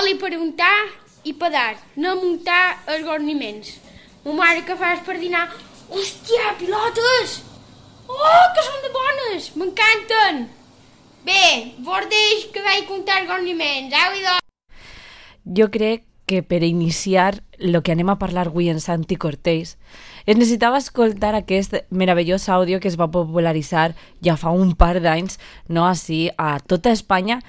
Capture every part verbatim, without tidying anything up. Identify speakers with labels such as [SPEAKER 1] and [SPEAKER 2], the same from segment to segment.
[SPEAKER 1] Oli per untar i per dar, no muntar els gorniments. Ma mare, què fas per dinar? Hòstia, pilotes! Oh, que són de bones! M'encanten! Bé, bordeix que vaig comptar els gorniments, au idò!
[SPEAKER 2] Jo crec que per iniciar el que anem a parlar avui en Santi Cortés es necessitava escoltar aquest meravellós àudio que es va popularitzar ja fa un par d'anys, no així, a tota Espanya,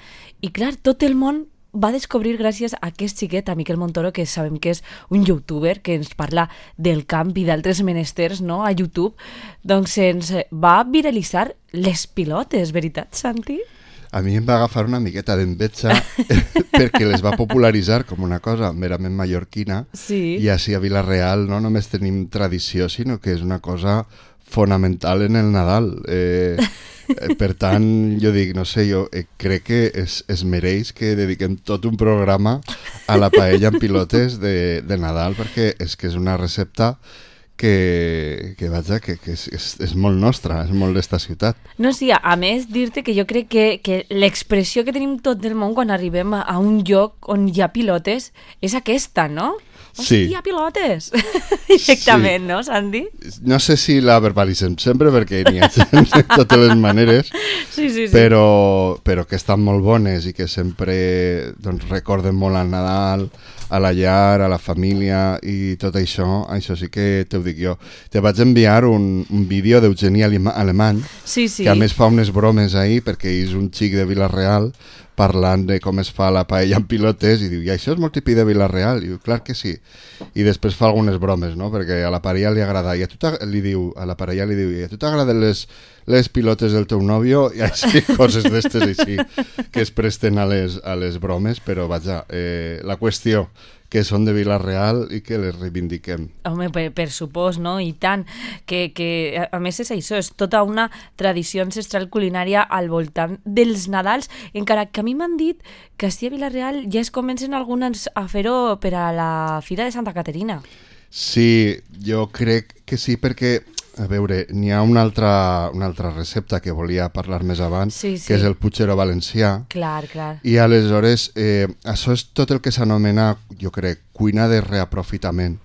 [SPEAKER 2] i clar, tot el món va descobrir gràcies a aquest xiquet, a Miquel Montoro, que sabem que és un youtuber que ens parla del camp i d'altres menesters, no?, a YouTube, doncs ens va viralitzar les pilotes, veritat, Santi?
[SPEAKER 3] A mi em va agafar una miqueta d'enveja perquè les va popularitzar com una cosa merament mallorquina,
[SPEAKER 2] sí.
[SPEAKER 3] I així a Vila-real no només tenim tradició, sinó que és una cosa fonamental en el Nadal. Eh, per tant, jo dic, no sé, jo eh, crec que es, es mereix que dediquem tot un programa a la paella amb pilotes de, de Nadal, perquè és que és una recepta que, que vaja, que, que és, és, és molt nostra, és molt d'esta ciutat.
[SPEAKER 2] No, sí, a més, dir-te que jo crec que, que l'expressió que tenim tot el món quan arribem a un lloc on hi ha pilotes és aquesta, no?
[SPEAKER 3] Sí.
[SPEAKER 2] Hòstia, pilotes! Directament, sí. No, Santi?
[SPEAKER 3] No sé si la verbalitzem sempre, perquè n'hi ha gent de totes les maneres,
[SPEAKER 2] sí, sí, sí.
[SPEAKER 3] Però, però que estan molt bones i que sempre doncs, recorden molt al Nadal, a la llar, a la família i tot això, això sí que t'ho dic jo. Te vaig enviar un, un vídeo d'Eugeni Alemany,
[SPEAKER 2] sí, sí.
[SPEAKER 3] que a més fa unes bromes ahir, perquè és un xic de Vila-real, parlant de com es fa la paella amb pilotes, i diu, i això és molt típic de Vila-real? I diu, clar que sí. I després fa algunes bromes, no?, perquè a la parella li agrada, i a tu li diu, a la parella li diu, i a tu t'agraden les, les pilotes del teu nòvio? I així, coses d'estes així, que es presten a les, a les bromes, però vaja, eh, la qüestió que són de Vila-real i que les reivindiquem.
[SPEAKER 2] Home, per, per supòs, no? I tant, que, que a més és això, és tota una tradició ancestral culinària al voltant dels Nadals, encara que a mi m'han dit que així a Vila-real ja es comencen alguns a fer-ho per a la Fira de Santa Caterina.
[SPEAKER 3] Sí, jo crec que sí, perquè a veure, n'hi ha una altra, una altra recepta que volia parlar més abans,
[SPEAKER 2] sí, sí.
[SPEAKER 3] que és el puchero valencià.
[SPEAKER 2] Clar, clar.
[SPEAKER 3] I aleshores, eh, això és tot el que s'anomena, jo crec, cuina de reaprofitament.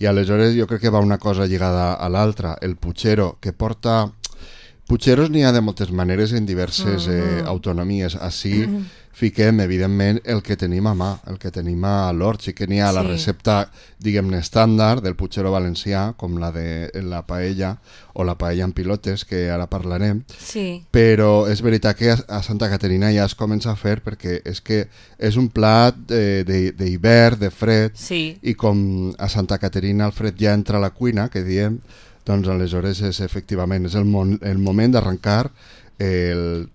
[SPEAKER 3] I aleshores jo crec que va una cosa lligada a l'altra. El puchero, que porta... Pucheros n'hi ha de moltes maneres en diverses eh, autonomies. Així fiquem, evidentment, el que tenim a mà, el que tenim a l'hort. Sí que n'hi ha sí. La recepta, diguem-ne, estàndard del puchero valencià, com la de la paella o la paella amb pilotes, que ara parlarem.
[SPEAKER 2] Sí.
[SPEAKER 3] Però és veritat que a Santa Caterina ja es comença a fer, perquè és que és un plat d'hivern, de fred,
[SPEAKER 2] sí.
[SPEAKER 3] I com a Santa Caterina el fred ja entra a la cuina, que diem, doncs aleshores és efectivament és el, mon, el moment d'arrencar el,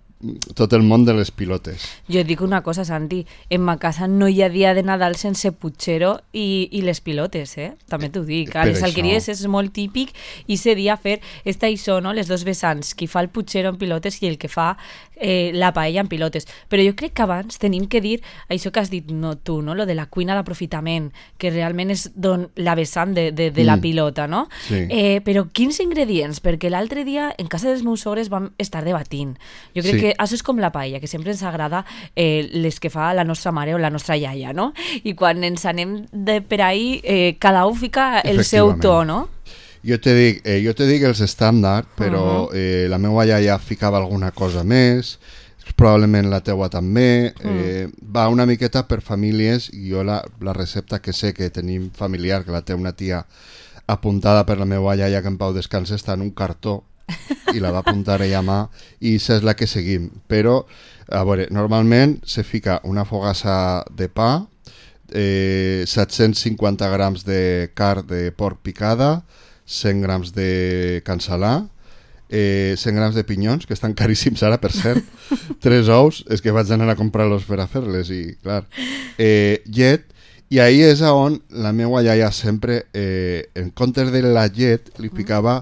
[SPEAKER 3] tot el món de les pilotes.
[SPEAKER 2] Jo dic una cosa, Santi, en ma casa no hi ha dia de Nadal sense puchero i, i les pilotes, eh? També t'ho dic. A les alqueries és molt típic i se dia fer esta això, no? Les dos vessants, qui fa el puchero en pilotes i el que fa eh, la paella en pilotes. Però jo crec que abans tenim que dir això que has dit no, tu, no? Lo de la cuina d'aprofitament, que realment és don, la vessant de, de, de mm. la pilota, no?
[SPEAKER 3] Sí.
[SPEAKER 2] Eh, però quins ingredients? Perquè l'altre dia en casa dels meus sogres vam estar debatint. Jo crec sí. que això és com la paella, que sempre ens agrada eh, les que fa la nostra mare o la nostra iaia, no? I quan ens anem de per ahí, eh, cada un fica el seu to, no?
[SPEAKER 3] Jo te dic, eh, jo te dic els estàndard, però uh-huh. eh, la meva iaia ficava alguna cosa més, probablement la teua també, eh, uh-huh. va una miqueta per famílies, i jo la, la recepta que sé que tenim familiar, que la té una tia apuntada per la meva iaia, que en pau descansa, està en un cartó, i la va apuntar ella a mà, i això és la que seguim. Però, a veure, normalment se fica una fogassa de pa, eh, set-cents cinquanta grams de carn de porc picada, cent grams de cansalà, eh, cent grams de pinyons, que estan caríssims ara, per cert, tres ous, és que vaig anar a comprar-los per a fer-les, i clar, eh, llet, i ahí és on la meva iaia sempre, eh, en comptes de la llet, li ficava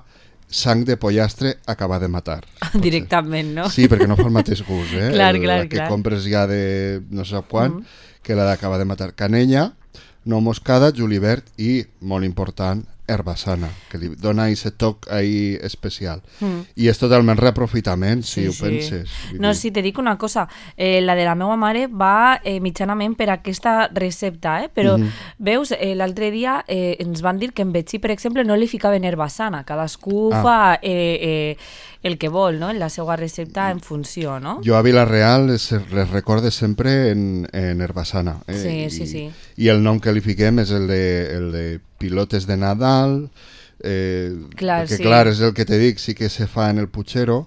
[SPEAKER 3] sang de pollastre acabat de matar.
[SPEAKER 2] Directament, no?
[SPEAKER 3] Sí, perquè no fa el mateix gust, eh?
[SPEAKER 2] Clar,
[SPEAKER 3] el,
[SPEAKER 2] clar,
[SPEAKER 3] la que
[SPEAKER 2] clar.
[SPEAKER 3] compres ja de no sé quan, mm. que la d'acabar de matar. Canella, no moscada, julivert i, molt important, Herbassana, que li dona aquest toc ahí especial. Mm. I és totalment reaprofitament, si sí, ho sí. penses.
[SPEAKER 2] No, si te dic una cosa, eh, la de la meva mare va eh, mitjanament per aquesta recepta, eh? Però mm-hmm. veus, eh, l'altre dia eh, ens van dir que en Betxí, per exemple, no li ficaven herbassana, cadascú ah. fa eh, eh, el que vol, no? En la seva recepta en funció, no?
[SPEAKER 3] Jo a Vila-real les, les recorde sempre en, en herbassana. Eh?
[SPEAKER 2] Sí,
[SPEAKER 3] I,
[SPEAKER 2] sí, sí.
[SPEAKER 3] I el nom que li fiquem és el de, el de pilotes de Nadal, eh,
[SPEAKER 2] clar,
[SPEAKER 3] perquè
[SPEAKER 2] sí.
[SPEAKER 3] clar, és el que te dic, sí que se fa en el Puchero,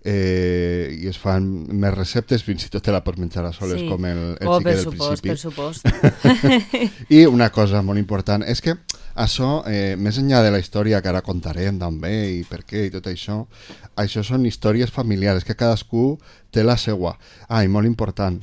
[SPEAKER 3] eh, i es fan més receptes, fins i tot te la pots menjar a soles, sí. com el, el
[SPEAKER 2] oh,
[SPEAKER 3] xique del
[SPEAKER 2] supost,
[SPEAKER 3] principi.
[SPEAKER 2] Per supost,
[SPEAKER 3] I una cosa molt important és que això, eh, més enllà de la història que ara contarem també i per què i tot això, això són històries familiars, que cadascú té la seua. Ah, i molt important,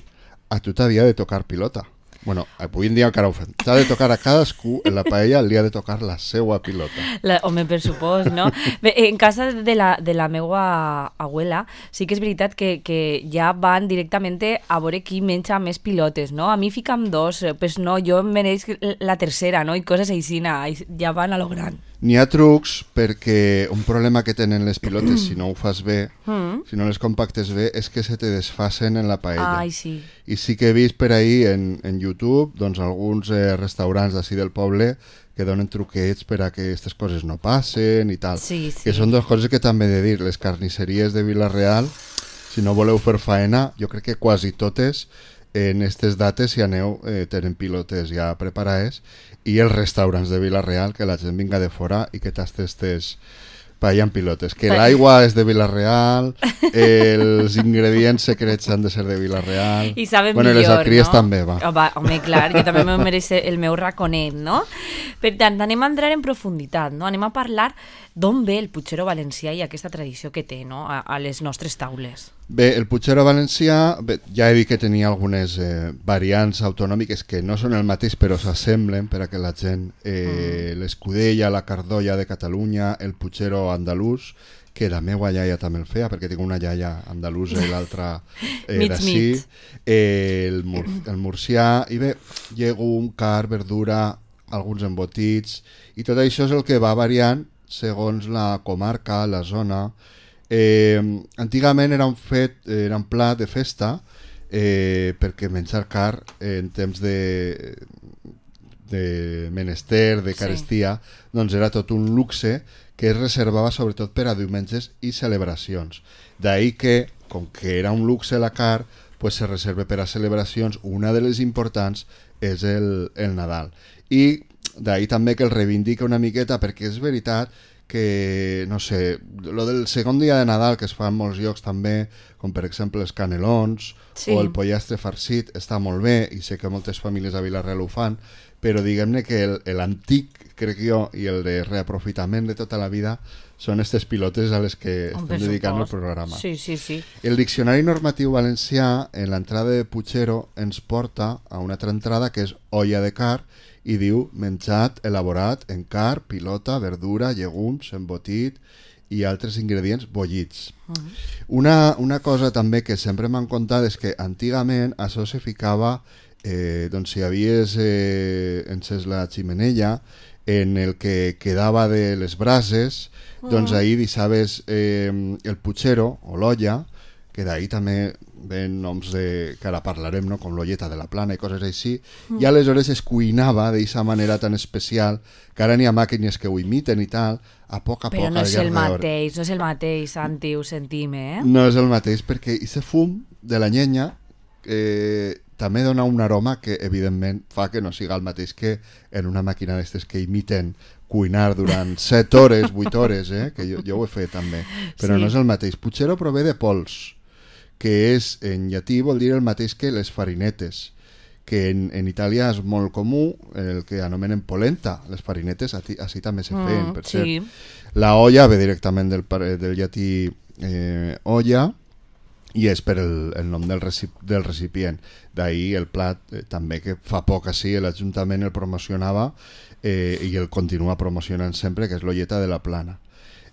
[SPEAKER 3] a tu t'havia de tocar pilota. Bueno, avui en dia encara ho fem. T'ha de tocar a cadascú, en la paella li ha de tocar la seua pilota.
[SPEAKER 2] La, home, per supost, no? Bé, en casa de la, de la meua abuela sí que és veritat que, que ja van directament a veure qui menja més pilotes, no? A mi fica'm dos, pues no, jo em mereix la tercera, no? I coses així, ja van a lo gran.
[SPEAKER 3] N'hi ha trucs perquè un problema que tenen les pilotes si no ho fas bé, mm. si no les compactes bé, és que se te desfasen en la paella.
[SPEAKER 2] Ai, sí.
[SPEAKER 3] I sí que he vist per ahí en, en YouTube doncs, alguns eh, restaurants d'ací del poble que donen truquets per a que aquestes coses no passen i tal.
[SPEAKER 2] Sí, sí.
[SPEAKER 3] Que són dues coses que també he de dir. Les carnisseries de Vila-real, si no voleu fer faena, jo crec que quasi totes en aquestes dates, si aneu, eh, tenen pilotes ja preparades, i els restaurants de Vila-real, que la gent vinga de fora i que tastes paella en pilotes. Que l'aigua és de Vila-real, els ingredients secrets han de ser de Vila-real.
[SPEAKER 2] I saben
[SPEAKER 3] bueno,
[SPEAKER 2] millor,
[SPEAKER 3] les alcries
[SPEAKER 2] no?
[SPEAKER 3] també, va.
[SPEAKER 2] Oh, va. Home, clar, jo també me mereix el meu raconet, no? Per tant, anem a entrar en profunditat, no? Anem a parlar d'on ve el Puchero valencià i aquesta tradició que té, no? A, a les nostres taules.
[SPEAKER 3] Bé, el Puchero valencià, bé, ja he dit que tenia algunes eh, variants autonòmiques que no són el mateix però s'assemblen per a que la gent, eh, mm. l'escudella, la cardolla de Catalunya, el Puchero andalús, que la meva iaia també el feia, perquè tinc una iaia andalusa i l'altra eh, d'ací, eh, el, mur, el murcià, i bé, llegum, car, verdura, alguns embotits, i tot això és el que va variant segons la comarca, la zona. Eh, antigament era un fet, era un plat de festa, eh, perquè menjar car eh, en temps de, de menester, de carestia, sí. doncs era tot un luxe que es reservava sobretot per a diumenges i celebracions. D'ahí que, com que era un luxe la car, pues se reserva per a celebracions. Una de les importants és el, el Nadal. I d'ahí també que el reivindica una miqueta, perquè és veritat que, no sé, lo del segon dia de Nadal, que es fa en molts llocs també, com per exemple els canelons, sí. o el pollastre farcit, està molt bé, i sé que moltes famílies a Vila-real ho fan, però diguem-ne que l'antic, crec jo, i el de reaprofitament de tota la vida són aquestes pilotes a les que
[SPEAKER 2] un
[SPEAKER 3] estem dedicant el programa.
[SPEAKER 2] Sí, sí, sí.
[SPEAKER 3] El Diccionari Normatiu Valencià, en l'entrada de Puchero, ens porta a una altra entrada que és olla de car, i diu menjat elaborat en car, pilota, verdura, llegums, embotit i altres ingredients bullits. Uh-huh. Una, una cosa també que sempre m'han contat és que antigament això se ficava, eh, doncs si havies eh, encès la ximenella, en el que quedava de les brases, uh-huh. doncs ahir deixaves eh, el Puchero o l'olla, que d'ahir també ven noms de, que ara parlarem, no? Com l'olleta de la plana i coses així, mm. i aleshores es cuinava d'aquesta manera tan especial, que ara n'hi ha màquines que ho imiten i tal, a poc a
[SPEAKER 2] Però
[SPEAKER 3] poc...
[SPEAKER 2] no és el mateix, no és el mateix, Santi, ho sentim, eh?
[SPEAKER 3] No és el mateix, perquè aquest fum de la llenya eh, també dona un aroma que, evidentment, fa que no siga el mateix que en una màquina d'aquestes que imiten cuinar durant set hores, vuit hores, eh? Que jo, jo ho he fet també, però sí. no és el mateix. Puchero prové de pols, que és, en llatí, vol dir el mateix que les farinetes, que en, en Itàlia és molt comú, el que anomenen polenta. Les farinetes així també se feien, mm, per sí. cert. La olla ve directament del, del llatí eh, olla, i és per el, el nom del, recip, del recipient. D'ahir el plat, eh, també que fa poc així l'Ajuntament el promocionava eh, i el continua promocionant sempre, que és l'olleta de la plana.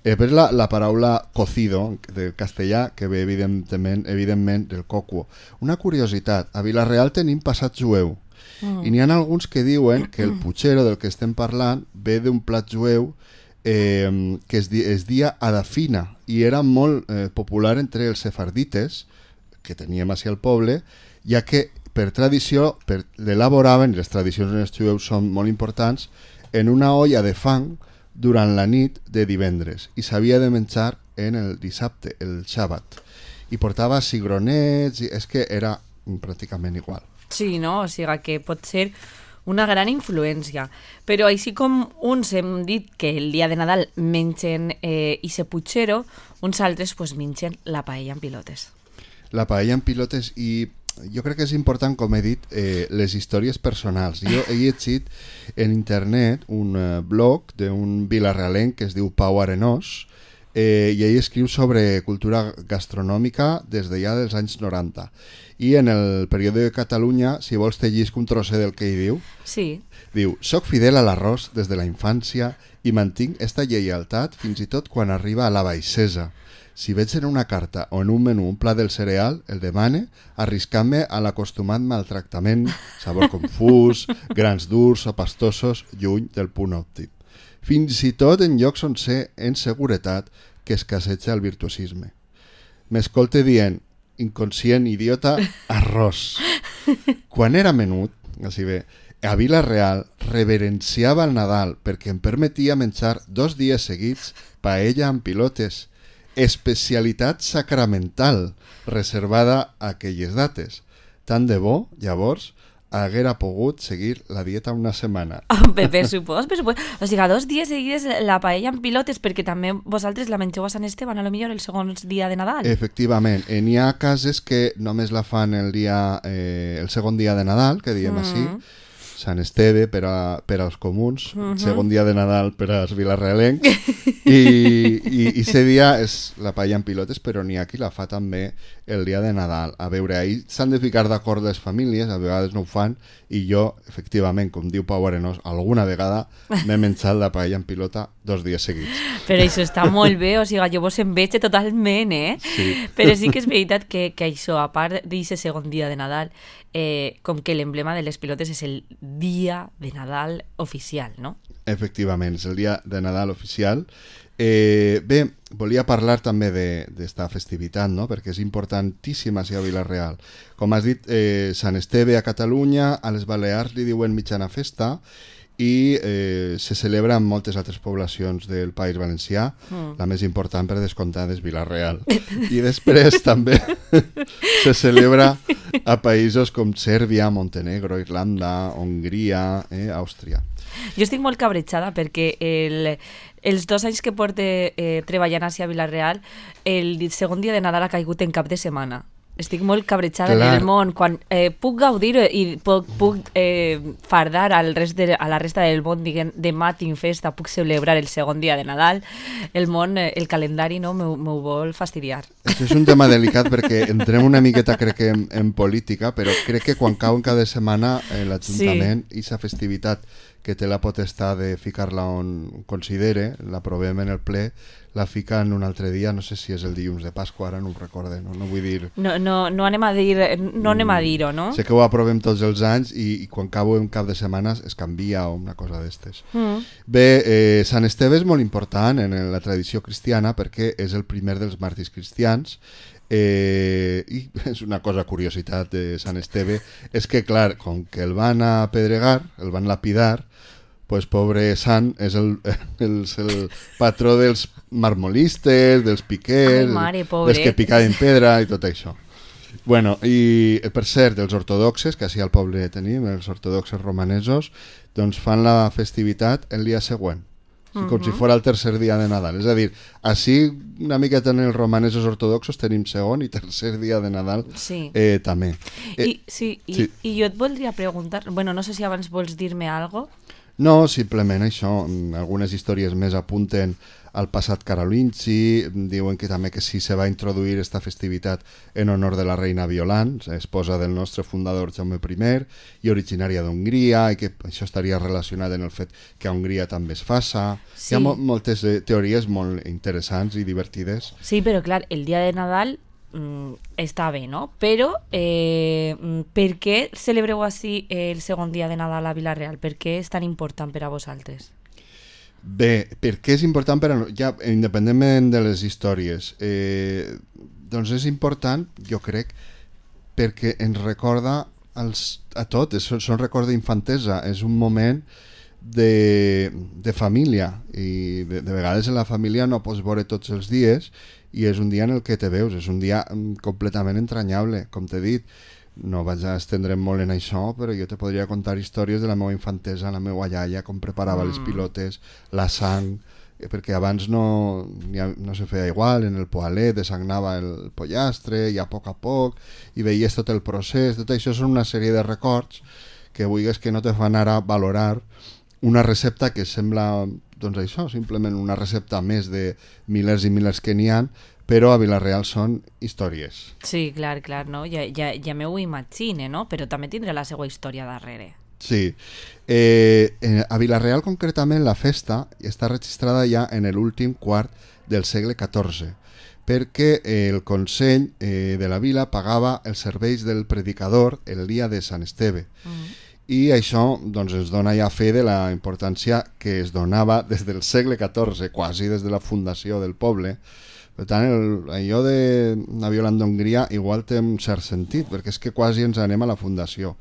[SPEAKER 3] Eh, però la, la paraula cocido, del castellà, que ve evidentment, evidentment del coco. Una curiositat, a Vila-real tenim passat jueu, Mm. I n'hi ha alguns que diuen que el putxero del que estem parlant ve d'un plat jueu eh, que es, di es dia adafina i era molt eh, popular entre els sefardites, que teníem així al poble, ja que per tradició per, l'elaboraven, i les tradicions en els jueus són molt importants, en una olla de fang durant la nit de divendres i s'havia de menjar en el dissabte, el xàbat. I portava cigronets, i és que era pràcticament igual.
[SPEAKER 2] Sí, no? O sigui que pot ser una gran influència. Però així com uns hem dit que el dia de Nadal mengen eh, ese putxero, uns altres pues, mengen la paella en pilotes.
[SPEAKER 3] La paella en pilotes i jo crec que és important, com he dit, eh, les històries personals. Jo he llegit en internet un eh, blog d'un vilarrealenc que es diu Pau Arenós eh, i ell escriu sobre cultura gastronòmica des de ja dels anys noranta. I en el període de Catalunya, si vols te llisc un trosset del que hi diu,
[SPEAKER 2] sí.
[SPEAKER 3] Diu, soc fidel a l'arròs des de la infància i mantinc esta lleialtat fins i tot quan arriba a la baixesa. Si veig en una carta o en un menú un plat del cereal, el demane, arriscant-me a l'acostumat maltractament, sabor confús, grans durs o pastosos, lluny del punt òptim. Fins i tot en llocs on sé en seguretat que escasseja el virtuosisme. M'escolte dient, inconscient, idiota, arròs. Quan era menut, així bé, a Vila-real reverenciava el Nadal perquè em permetia menjar dos dies seguits paella amb pilotes, especialitat sacramental reservada a aquelles dates. Tant de bo, llavors, haguera pogut seguir la dieta una setmana.
[SPEAKER 2] Per, per supòs, per supòs. O sigui, dos dies seguides la paella amb pilotes, perquè també vosaltres la mengeu a Sant Esteban, a lo millor el segon dia de Nadal.
[SPEAKER 3] Efectivament. Eh, n'hi ha cases que només la fan el dia, eh, el segon dia de Nadal, que diem mm. així, Sant Esteve per, a, per als comuns, uh -huh. segon dia de Nadal per als vilarrealencs, i, i, i ese dia és la paella en pilotes, però n'hi ha qui la fa també el dia de Nadal. A veure, ahir s'han de ficar d'acord les famílies, a vegades no ho fan, i jo, efectivament, com diu Pau Arenós, alguna vegada m'he menjat la paella en pilota dos dies seguits.
[SPEAKER 2] Però això està molt bé, o sigui, jo vos en veig totalment, eh?
[SPEAKER 3] Sí.
[SPEAKER 2] Però sí que és veritat que, que això, a part d'aquest segon dia de Nadal, eh, com que l'emblema de les pilotes és el dia de Nadal oficial, no?
[SPEAKER 3] Efectivament, és el dia de Nadal oficial. Eh, bé, volia parlar també d'esta festivitat, no? Perquè és importantíssima a Vila-real. Com has dit, eh, Sant Esteve a Catalunya, a les Balears li diuen mitjana festa, i eh, se celebra en moltes altres poblacions del País Valencià, mm. la més important per descomptat és Vila-real. I després també se celebra a països com Sèrbia, Montenegro, Irlanda, Hongria, eh, Àustria.
[SPEAKER 2] Jo estic molt cabrejada perquè el, els dos anys que porte eh, treballant a Vila-real, el segon dia de Nadal ha caigut en cap de setmana. Estic molt cabrejada en el món. Quan eh, puc gaudir i puc, puc eh, fardar al rest de, a la resta del món, diguem, demà tinc festa, puc celebrar el segon dia de Nadal, el món, eh, el calendari no m'ho vol fastidiar.
[SPEAKER 3] Això és un tema delicat perquè entrem una miqueta, crec que, en, en política, però crec que quan cau en cada setmana eh, l'Ajuntament i sí. sa festivitat que té la potestat de ficar-la on considere, l'aprovem en el ple, la fica en un altre dia, no sé si és el dilluns de Pasqua, ara no ho recorde, no, no vull dir...
[SPEAKER 2] No, no, no anem a dir, no anem a dir-ho, no?
[SPEAKER 3] Sé que ho aprovem tots els anys i, i quan cau un cap de setmanes es canvia o una cosa d'estes. Mm. Bé, eh, Sant Esteve és molt important en la tradició cristiana perquè és el primer dels màrtirs cristians. Eh, i és una cosa curiositat de Sant Esteve, és que clar, com que el van apedregar, el van lapidar, pues pobre Sant és el, el, el patró dels marmolistes, dels piquers, Ai, mare, dels que picaven pedra i tot això. Bueno, i per cert, els ortodoxes, que així al poble tenim, els ortodoxes romanesos, doncs fan la festivitat el dia següent, uh-huh. com si fos el tercer dia de Nadal. És a dir, així una miqueta en els romanesos ortodoxos tenim segon i tercer dia de Nadal sí. eh, també.
[SPEAKER 2] Eh, I, sí, i, sí, i jo et voldria preguntar, bueno, no sé si abans vols dir-me alguna cosa.
[SPEAKER 3] No, simplement això, algunes històries més apunten al passat carolingi, diuen que també que sí se va introduir esta festivitat en honor de la reina Violant, esposa del nostre fundador Jaume primer i originària d'Hongria, i que això estaria relacionat en el fet que a Hongria també es faça. Sí. Hi ha mo moltes teories molt interessants i divertides.
[SPEAKER 2] Sí, però clar, el dia de Nadal mm, està bé, no? Però eh, per què celebreu així el segon dia de Nadal a Vila-real? Per què és tan important per a vosaltres?
[SPEAKER 3] Bé, per què és important per a... Ja, independentment de les històries, eh, doncs és important, jo crec, perquè ens recorda als, a tot, és, són records d'infantesa, és un moment de, de família, i de, de vegades en la família no pots veure tots els dies, i és un dia en el que te veus, és un dia completament entranyable, com t'he dit. No vaig a estendre'm molt en això, però jo te podria contar històries de la meva infantesa, la meva iaia, com preparava mm. les pilotes, la sang, perquè abans no, no se feia igual, en el poalet desagnava el pollastre, i a poc a poc, i veies tot el procés. Tot això són una sèrie de records que vulguis que no te fan ara valorar una recepta que sembla, doncs això, simplement una recepta més de milers i milers que n'hi ha, però a Vila-real són històries.
[SPEAKER 2] Sí, clar, clar, no? Ja, ja, ja m'ho imagine, no? Però també tindrà la seva història darrere.
[SPEAKER 3] Sí. Eh, a Vila-real, concretament, la festa està registrada ja en l'últim quart del segle catorze, perquè el Consell eh, de la Vila pagava els serveis del predicador el dia de Sant Esteve. Mm. I això doncs, ens dona ja fe de la importància que es donava des del segle catorze, quasi des de la fundació del poble. Per tant, el, allò de la Violant d'Hongria igual té un cert sentit, perquè és que quasi ens anem a la fundació.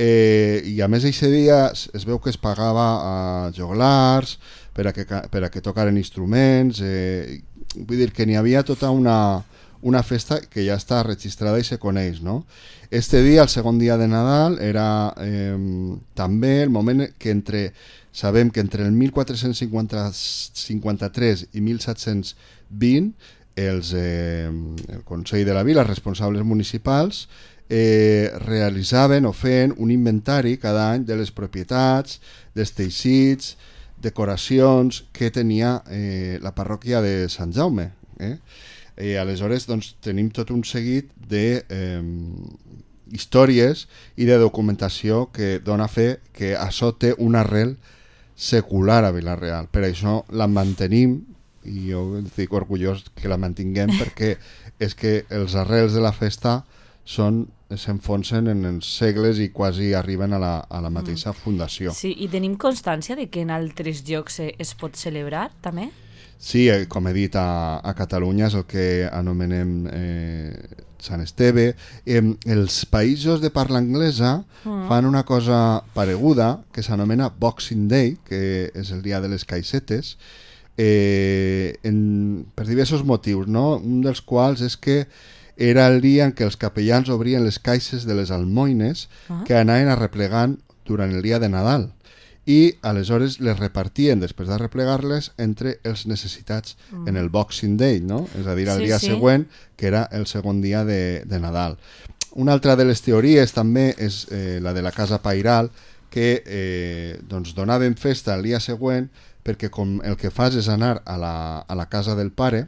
[SPEAKER 3] Eh, I a més, aquest dia es veu que es pagava a joglars per a que, per a que tocaren instruments, eh, vull dir que n'hi havia tota una, una festa que ja està registrada i se coneix, no? Este dia, el segon dia de Nadal, era eh, també el moment que entre, sabem que entre el mil quatre-cents cinquanta-tres i mil set-cents vint, els, eh, el Consell de la Vila, els responsables municipals, eh, realitzaven o feien un inventari cada any de les propietats, dels teixits, decoracions que tenia eh, la parròquia de Sant Jaume. Eh? I aleshores doncs, tenim tot un seguit de eh, històries i de documentació que dona fe que això té un arrel secular a Vila-real. Per això la mantenim, i jo estic orgullós que la mantinguem, perquè és que els arrels de la festa són s'enfonsen en els segles i quasi arriben a la, a la mateixa fundació.
[SPEAKER 2] Sí, i tenim constància de que en altres llocs es pot celebrar, també?
[SPEAKER 3] Sí, com he dit, a, a Catalunya és el que anomenem eh, Sant Esteve. Eh, els països de parla anglesa mm. fan una cosa pareguda que s'anomena Boxing Day, que és el dia de les caixetes, eh, en, per diversos motius, no? Un dels quals és que era el dia en què els capellans obrien les caixes de les almoines ah. que anaven arreplegant durant el dia de Nadal, i aleshores les repartien, després de replegar-les, entre els necessitats mm. en el Boxing Day, no? És a dir, el sí, dia sí. següent, que era el segon dia de, de Nadal. Una altra de les teories també és eh, la de la Casa Pairal, que eh, doncs donaven festa el dia següent, perquè com el que fas és anar a la, a la casa del pare,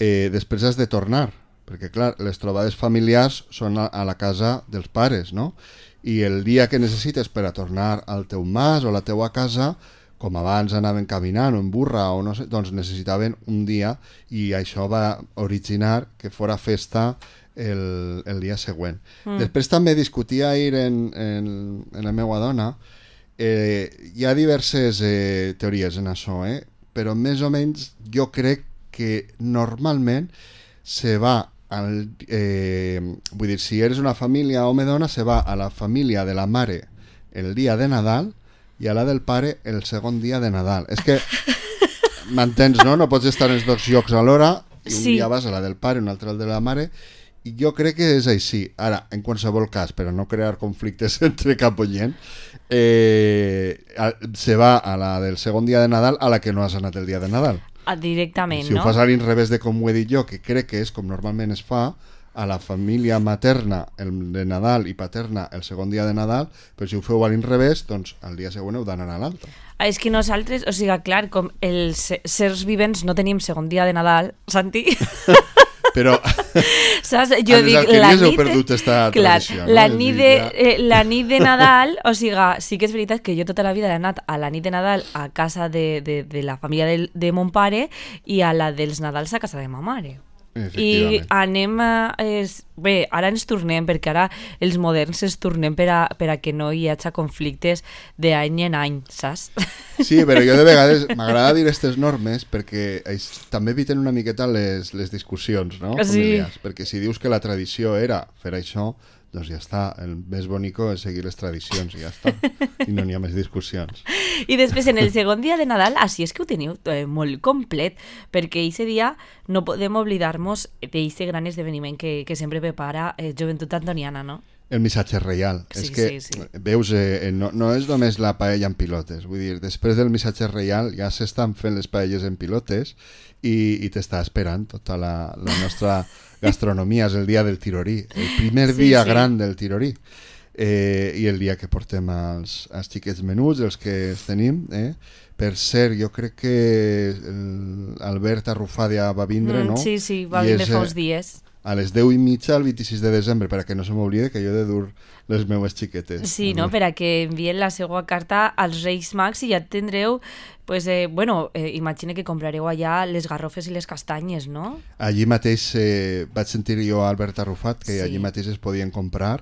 [SPEAKER 3] eh, després has de tornar, perquè clar, les trobades familiars són a, a la casa dels pares, no? I el dia que necessites per a tornar al teu mas o a la teua casa, com abans anaven caminant o en burra o no sé, doncs necessitaven un dia, i això va originar que fora festa el, el dia següent. Mm. Després també discutia ahir en, en, en la meva dona, eh, hi ha diverses eh, teories en això, eh? Però més o menys jo crec que normalment se va al, eh, vull dir, si eres una família home-dona, se va a la família de la mare el dia de Nadal i a la del pare el segon dia de Nadal. És que m'entens, no? No pots estar en els dos llocs alhora, i un sí. dia vas a la del pare, un altre al de la mare, i jo crec que és així. Ara, en qualsevol cas, per a no crear conflictes entre cap oient, eh, se va a la del segon dia de Nadal a la que no has anat el dia de Nadal.
[SPEAKER 2] Directament,
[SPEAKER 3] si
[SPEAKER 2] no?
[SPEAKER 3] ho fas a l'inrevés de com ho he dit jo, que crec que és com normalment es fa, a la família materna el de Nadal i paterna el segon dia de Nadal, però si ho feu a l'inrevés, doncs el dia següent heu d'anar a l'altre.
[SPEAKER 2] Ah, és que nosaltres, o sigui, clar, com els sers vivents no tenim segon dia de Nadal, Santi...
[SPEAKER 3] Però
[SPEAKER 2] saps? Jo dic, la nit,
[SPEAKER 3] perdut esta
[SPEAKER 2] clar,
[SPEAKER 3] tradició, no?
[SPEAKER 2] la, nit de, eh, la nit de Nadal, o sigui, sí que és veritat que jo tota la vida he anat a la nit de Nadal a casa de, de, de la família de, de mon pare i a la dels Nadals a casa de ma mare. I anem a... És, bé, ara ens tornem, perquè ara els moderns ens tornem per a, per a que no hi hagi conflictes d'any en any, saps?
[SPEAKER 3] Sí, però jo de vegades m'agrada dir aquestes normes perquè es, també eviten una miqueta les, les discussions, no? Familiars. Sí. Perquè si dius que la tradició era fer això, doncs ja està, el més bonico és seguir les tradicions i ja està, i no n'hi ha més discussions.
[SPEAKER 2] I després en el segon dia de Nadal, així és que ho teniu eh, molt complet, perquè aquest dia no podem oblidar-nos d'aquest gran esdeveniment que, que sempre prepara eh, Joventut Antoniana, no?
[SPEAKER 3] El missatge reial.
[SPEAKER 2] Sí,
[SPEAKER 3] és que,
[SPEAKER 2] sí, sí.
[SPEAKER 3] veus, eh, no, no és només la paella en pilotes, vull dir, després del missatge reial ja s'estan fent les paelles en pilotes i, i t'està esperant tota la, la nostra gastronomia, és el dia del tirorí, el primer sí, dia sí. gran del tirorí, eh, i el dia que portem als, als xiquets menuts, els que els tenim, eh? Per cert, jo crec que Albert Arrufàdia va vindre, mm, no?
[SPEAKER 2] Sí, sí, va vindre fa uns dies.
[SPEAKER 3] A les deu i mitja, el vint-i-sis de desembre, perquè no se m'oblide que jo he de dur les meues xiquetes.
[SPEAKER 2] Sí, no? Per a que envien la seva carta als Reis Mags i ja tindreu, pues, eh, bueno, eh, imagina que comprareu allà les garrofes i les castanyes, no?
[SPEAKER 3] Allí mateix eh, vaig sentir jo a Albert Arrufat que sí. allí mateix es podien comprar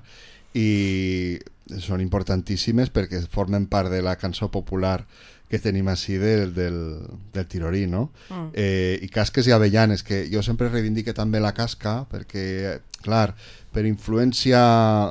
[SPEAKER 3] i són importantíssimes perquè formen part de la cançó popular que tenim així del, del, del tirorí, no? Mm. Eh, I casques i avellanes, que jo sempre reivindique també la casca, perquè, clar, per influència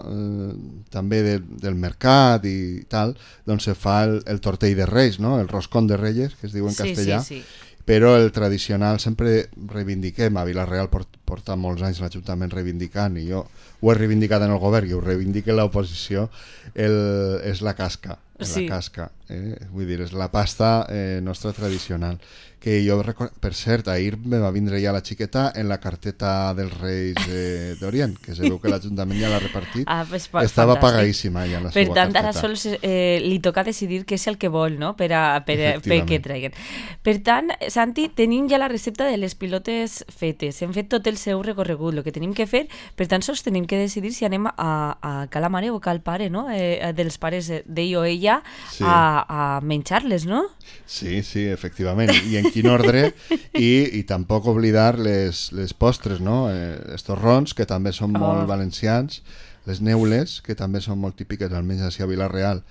[SPEAKER 3] eh, també de, del mercat i tal, doncs se fa el, el tortell de Reis, no? El roscón de Reyes, que es diu en
[SPEAKER 2] sí,
[SPEAKER 3] castellà,
[SPEAKER 2] sí, sí.
[SPEAKER 3] Però el tradicional sempre reivindiquem, a Vila-real port, porta molts anys l'Ajuntament reivindicant, i jo ho he reivindicat en el govern i ho reivindica l'oposició, és la casca. Sí. La casca, eh? Vull dir, és la pasta eh, nostra tradicional, que jo record... per cert, ahir me va vindre ja la xiqueta en la carteta dels Reis eh, d'Orient, que se veu que l'Ajuntament ja l'ha repartit.
[SPEAKER 2] Ah, pues,
[SPEAKER 3] estava fantàstic. Pagadíssima ja la
[SPEAKER 2] per
[SPEAKER 3] seva
[SPEAKER 2] tant,
[SPEAKER 3] carteta.
[SPEAKER 2] ara sols eh, li toca decidir què és el que vol, no? Per a, per a, per què treguen. Per tant, Santi, tenim ja la recepta de les pilotes fetes, hem fet tot el seu recorregut, el que tenim que fer, per tant, sols tenim que decidir si anem a, a cal mare o cal pare, no? Eh, dels pares d'ell o ella, sí. a, a menjar-les, no?
[SPEAKER 3] Sí, sí, efectivament. I en quin ordre, i, i tampoc oblidar les, les postres, no? Eh, els torrons, que també són oh. molt valencians, les neules, que també són molt típiques, almenys així a Vila-real.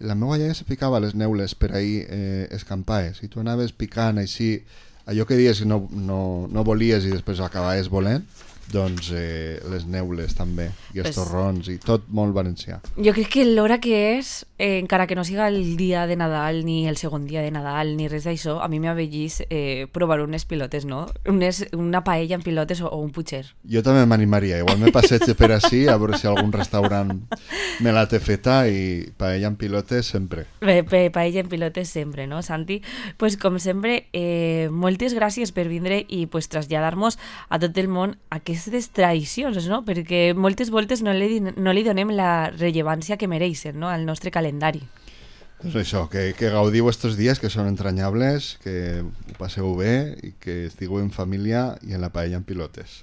[SPEAKER 3] La meva iaia se picava les neules per ahir eh, escampaes, i tu anaves picant així, allò que dies no, no, no volies i després acabaves volent, doncs eh, les neules també, i els pues, torrons, i tot molt valencià.
[SPEAKER 2] Jo crec que l'hora que és, eh, encara que no siga el dia de Nadal, ni el segon dia de Nadal, ni res d'això, a mi m'avellís eh, provar unes pilotes, no? Unes, una paella en pilotes o, o un putxer.
[SPEAKER 3] Jo també m'animaria, igual me passeig per així, a veure si algun restaurant me la té feta, i paella en pilotes sempre.
[SPEAKER 2] Bé, pa paella en pilotes sempre, no, Santi? Pues com sempre, eh, moltes gràcies per vindre i pues, traslladar-nos a tot el món aquestes tradicions, no? Perquè moltes voltes no li, no li donem la rellevància que mereixen, no? Al nostre calendari.
[SPEAKER 3] Doncs això, que, que gaudiu estos dies que són entranyables, que ho passeu bé i que estigueu en família i en la paella en pilotes.